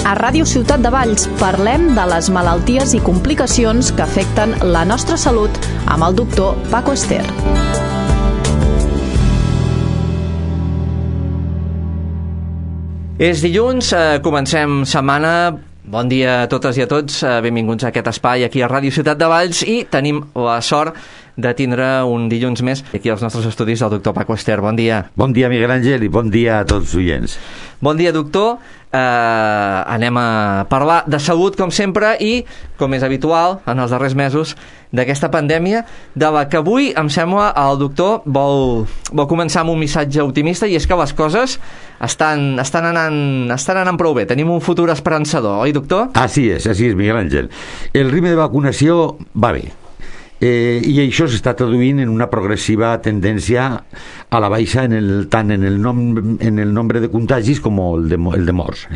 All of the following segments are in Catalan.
A Ràdio Ciutat de Valls parlem de les malalties i complicacions que afecten la nostra salut amb el doctor Paco Ester. És dilluns, comencem setmana. Bon dia a totes i a tots, benvinguts a aquest espai aquí a Ràdio Ciutat de Valls i tenim la sort de tindre un dilluns més aquí als nostres estudis del doctor Paco Ester. Bon dia. Bon dia, Miguel Àngel, i bon dia a tots els oients. Bon dia, doctor. Anem a parlar de salut, com sempre, i, com és habitual en els darrers mesos, d'aquesta pandèmia, de la que avui, em sembla, el doctor vol començar amb un missatge optimista, i és que les coses estan anant prou bé. Tenim un futur esperançador, oi, doctor? Así es, Miguel Àngel. El ritme de vacunació va bé. I això s'està traduint en una progressiva tendència a la baixa tant en el nombre de contagis com el de morts.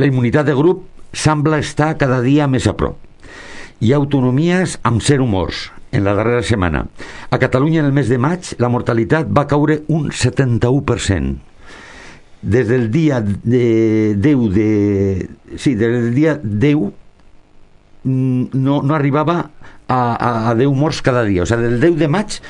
La immunitat de grup sembla estar cada dia més a prop. Hi ha autonomies amb 0 morts en la darrera setmana. A Catalunya, en el mes de maig, la mortalitat va caure un 71%. Des del dia 10 no arribava a 10 morts cada dia. O sea, del 10 de maig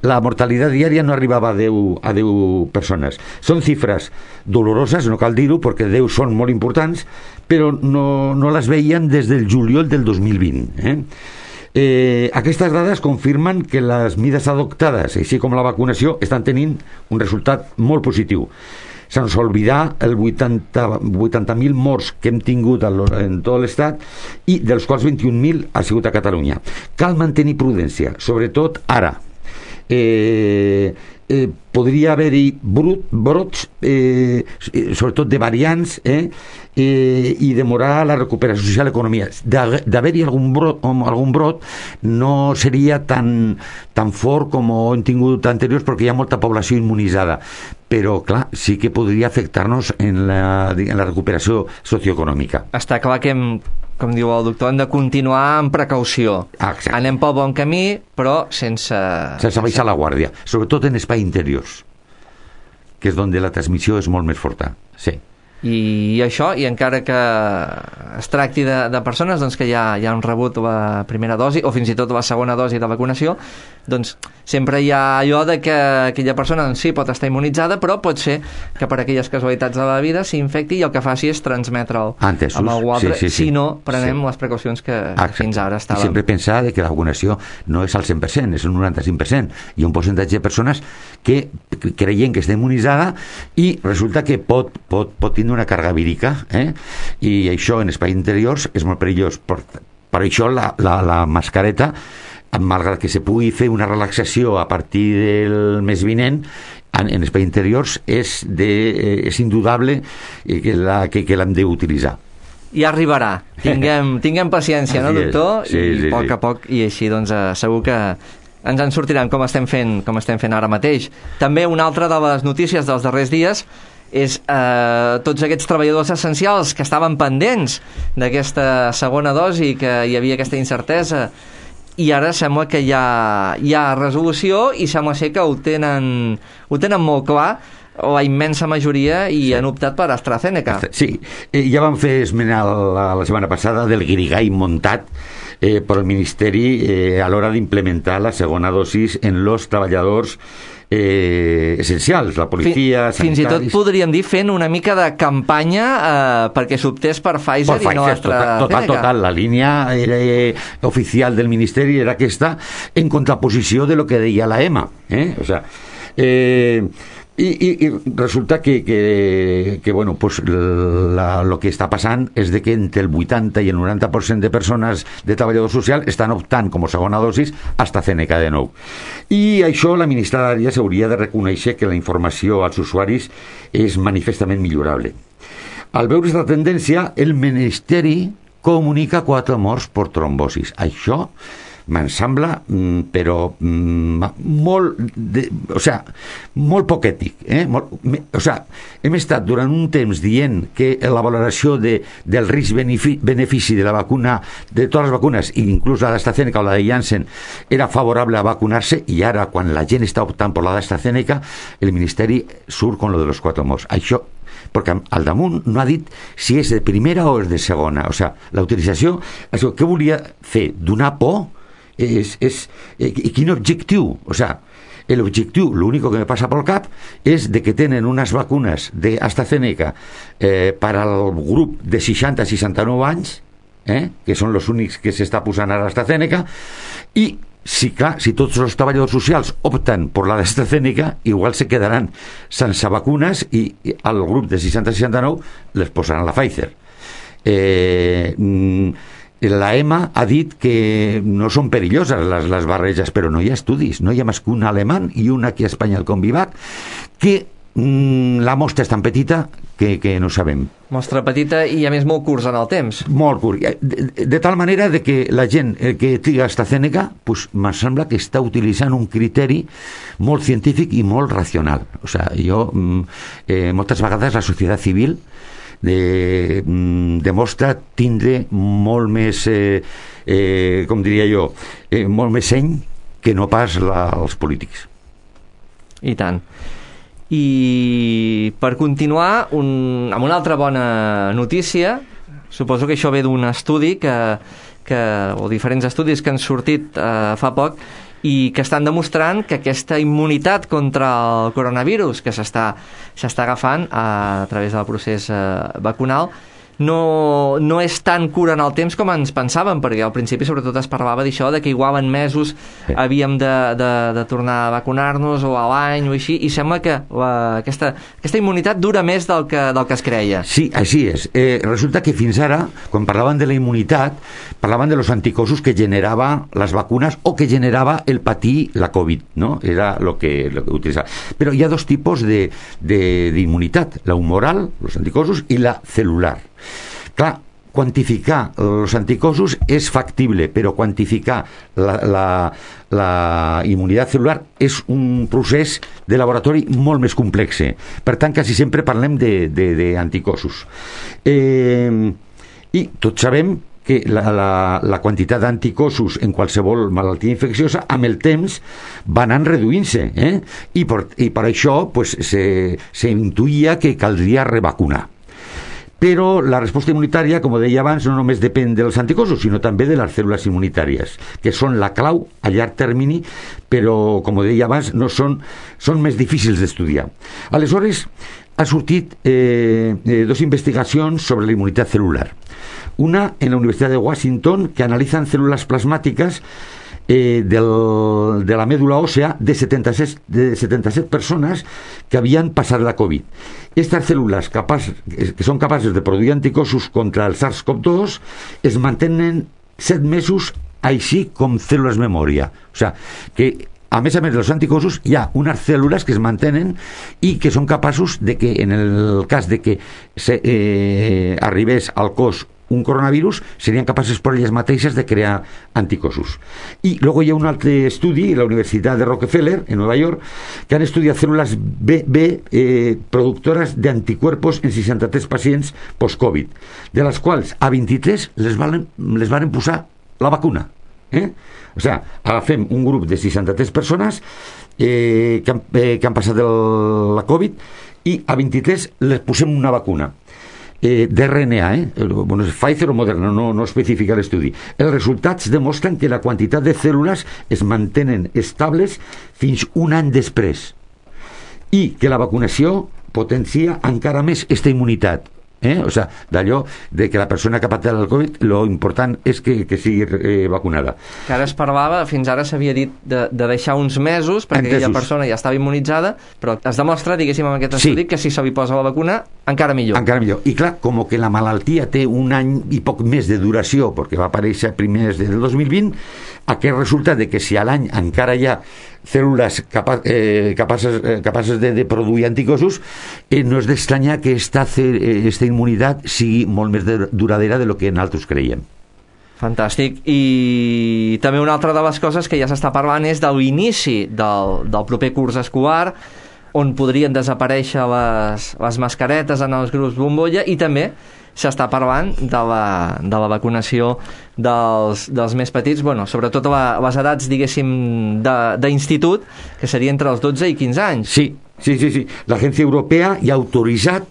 la mortalitat diària no arribava a 10 persones. Són xifres doloroses, no cal dir-ho, perquè 10 són molt importants, però no les veiem des del juliol del 2020. Aquestes dades confirmen que les mides adoptades, així com la vacunació, estan tenint un resultat molt positiu. Sense oblidar el 80.000 morts que hem tingut en tot l'estat i dels quals 21.000 ha sigut a Catalunya. Cal mantenir prudència, sobretot ara. Podria haver-hi brots, sobretot de variants, i demorar la recuperació social i economia. D'haver-hi algun brot no seria tan fort com hem tingut anteriors, perquè hi ha molta població immunitzada, però clar, sí que podria afectar-nos en la recuperació socioeconòmica. Està clar que com diu el doctor, hem de continuar amb precaució. Exacte. Anem pel bon camí, però sense baixar la guàrdia, sobretot en espais interiors, que és on la transmissió és molt més forta. Sí. I això, i encara que es tracti de persones doncs, que ja han rebut la primera dosi o fins i tot la segona dosi de vacunació, doncs sempre hi ha allò de que aquella persona doncs, sí, pot estar immunitzada, però pot ser que per aquelles casualitats de la vida s'infecti i el que faci és transmetre'l amb algú altre, si no prenem les precaucions que fins ara estàvem. I sempre pensar que la vacunació no és al 100%, és un 95%. Hi ha un percentatge de persones que creien que està immunitzada i resulta que pot tindre una càrrega vírica, i això en espais interiors és molt perillós. Per això la mascareta, malgrat que se pugui fer una relaxació a partir del mes vinent, en espais interiors és indudable que l'hem d'utilitzar. I arribarà. Tinguem paciència, no, doctor? Sí, I a poc a poc, i així doncs segur que ens en sortiran com estem fent ara mateix. També una altra de les notícies dels darrers dies és tots aquests treballadors essencials que estaven pendents d'aquesta segona dosi, que hi havia aquesta incertesa, i ara sembla que hi ha resolució i sembla ser que ho tenen molt clar la immensa majoria i han optat per AstraZeneca. Sí, ja vam fer esmenar la setmana passada del guirigall muntat per el Ministeri a l'hora d'implementar la segona dosis en els treballadors essencials, la policia, sanitaris. Fins i tot podríem dir fent una mica de campanya perquè s'optés per Pfizer i no AstraZeneca. Total, la línia oficial del Ministeri era aquesta, en contraposició de lo que deia la EMA. O sea, i resulta que bueno, pues lo que està passant és de que entre el 80 i el 90% de persones de treballadors socials estan optant com a segona dosis AstraZeneca de nou. I això la ministra d'Àrea s'hauria de reconèixer que la informació als usuaris és manifestament millorable. Al veure aquesta tendència, el Ministeri comunica 4 morts per trombosis. Això me'n sembla, però molt poc ètic. Hem estat durant un temps dient que la valoració del risc-benefici de la vacuna, de totes les vacunes, inclús la d'AstraZeneca o la de Janssen, era favorable a vacunar-se, i ara, quan la gent està optant per la d'AstraZeneca, el Ministeri surt con lo de los 4 morts. Això perquè al damunt no ha dit si és de primera o és de segona. O sigui, la utilització, això, què volia fer? Donar por? I quin objectiu? O sigui, l'objectiu, l'únic que me passa pel cap és de que tenen unes vacunes d'AstraZeneca per al grup de 60 a 69 anys, que són els únics que s'està posant a l'AstraZeneca, i si tots els treballadors socials opten per la d'AstraZeneca, igual se quedaran sense vacunes i al grup de 60-69 les posaran la Pfizer. La EMA ha dit que no són perilloses les barreges, però no hi ha estudis, no hi ha més que un alemany i un aquí a Espanya, el Convivac, que la mostra és tan petita que no sabem. Mostra petita i a més molt curts en el temps. Molt curt. De tal manera de que la gent que triga AstraZeneca, pues, em sembla que està utilitzant un criteri molt científic i molt racional. O sigui, moltes vegades la societat civil demostra tindre molt més com diria jo, molt més seny que no pas els polítics. I tant. I per continuar amb una altra bona notícia, suposo que això ve d'un estudi o diferents estudis que han sortit fa poc i que estan demostrant que aquesta immunitat contra el coronavirus que s'està agafant a través del procés vacunal no és tan cura en el temps com ens pensàvem, perquè al principi sobretot es parlava d'això, de que igual en mesos havíem de tornar a vacunar-nos o a l'any o així, i sembla que aquesta immunitat dura més del que es creia. Sí, així és. Resulta que fins ara, quan parlaven de la immunitat, parlaven de los anticossos que generava les vacunes o que generava el patir la Covid, no? Era lo que utilitzava. Però hi ha dos tipus d'immunitat, la humoral, los anticossos, i la celular. Clar, quantificar els anticossos és factible, però quantificar la immunitat celular és un procés de laboratori molt més complex. Per tant, quasi sempre parlem d'anticossos. I tots sabem que la quantitat d'anticossos en qualsevol malaltia infecciosa amb el temps va anar reduint-se, i per això pues, se intuïa que caldria revacunar. Però la resposta immunitària, com deia abans, no només depèn dels anticossos, sinó també de les cèl·lules immunitàries, que són la clau a llarg termini, però, com deia abans, són més difícils d'estudiar. Aleshores, ha sortit dos investigacions sobre la immunitat celular. Una en la Universitat de Washington, que analitzen cèl·lules plasmàtiques de la mèdula òssea de 77 persones que havien passat la Covid. Aquestes cèl·lules que són capaces de produir anticossos contra el SARS-CoV-2 es mantenen 7 mesos així com cèl·lules memòria. O sigui, que a més dels anticossos hi ha unes cèl·lules que es mantenen i que són capaços de que en el cas de que arribés al cos un coronavirus, serien capaces per elles mateixes de crear anticossos. I luego hi ha un altre estudi a la Universitat de Rockefeller, en Nova York, que han estudiat cèl·lules B productores d'anticuerpos en 63 pacients post-Covid, de les quals a 23 les van posar la vacuna. O sigui, agafem un grup de 63 persones que han passat la Covid i a 23 les posem una vacuna d'RNA, bueno, Pfizer o Moderna, no especifica l'estudi. Els resultats demostren que la quantitat de cèl·lules es mantenen estables fins un any després i que la vacunació potencia encara més aquesta immunitat. O sigui, d'allò de que la persona que ha patit el Covid, lo important és que sigui vacunada. Que ara es parlava, fins ara s'havia dit de deixar uns mesos perquè aquella persona ja estava immunitzada, però es demostra, diguéssim, amb aquest estudi, que si se li posa la vacuna, encara millor. Encara millor. I clar, com que la malaltia té un any i poc més de duració, perquè va aparèixer a primers del 2020, aquest resulta de que si a l'any encara hi ha cèl·lules capaces de produir anticossos, no és d'estranyar que aquesta immunitat sigui molt més duradera de lo que nosaltres creiem. Fantàstic. I també una altra de les coses que ja s'està parlant és de l'inici del proper curs escolar, on podrien desaparèixer les mascaretes en els grups bombolla, i també s'està parlant de la vacunació dels més petits, bueno, sobretot a les edats, diguéssim, d'institut, que seria entre els 12 i 15 anys. Sí. L'Agència Europea ja ha autoritzat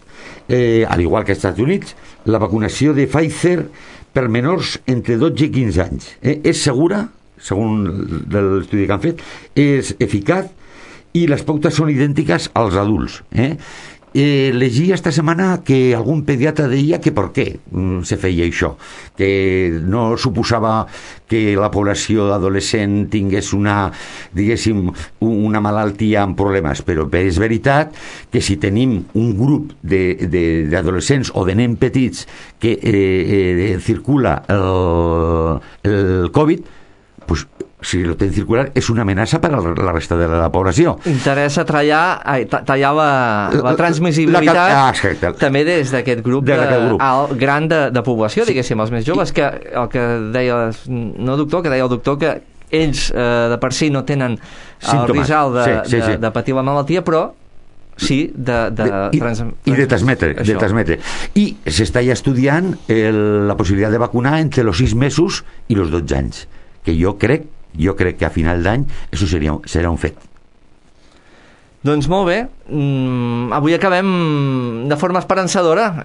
al igual que als Estats Units, la vacunació de Pfizer per menors entre 12 i 15 anys. És segura, segons l'estudi que han fet, és eficaç i les pautes són idèntiques als adults. Llegia esta setmana que algun pediatre deia que per què se feia això, que no suposava que la població adolescent tingués una malaltia amb problemes, però és veritat que si tenim un grup d'adolescents o de nens petits que circula el Covid, pues si lo ten circular és una amenaça per a la resta de la població. Interessa tallar la transmissibilitat també des d'aquest grup gran de població, diguéssim, els més joves, que el que deia el doctor que ells de per si no tenen el risc de patir la malaltia, però sí i de transmetre. I s'està ja estudiant la possibilitat de vacunar entre els 6 mesos i els 12 anys, que jo crec que a final d'any això serà un fet. Doncs molt bé, avui acabem de forma esperançadora,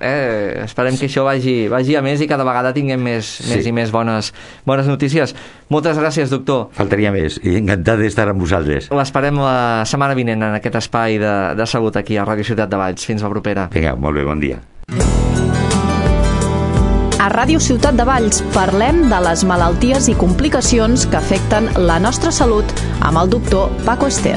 esperem que això vagi a més i cada vegada tinguem més i més bones notícies. Moltes gràcies, doctor. Faltaria més, i encantat d'estar amb vosaltres. L'esperem la setmana vinent en aquest espai de salut aquí a Ràdio Ciutat de Valls. Fins la propera. Vinga, molt bé, bon dia. A Ràdio Ciutat de Valls parlem de les malalties i complicacions que afecten la nostra salut amb el doctor Paco Ester.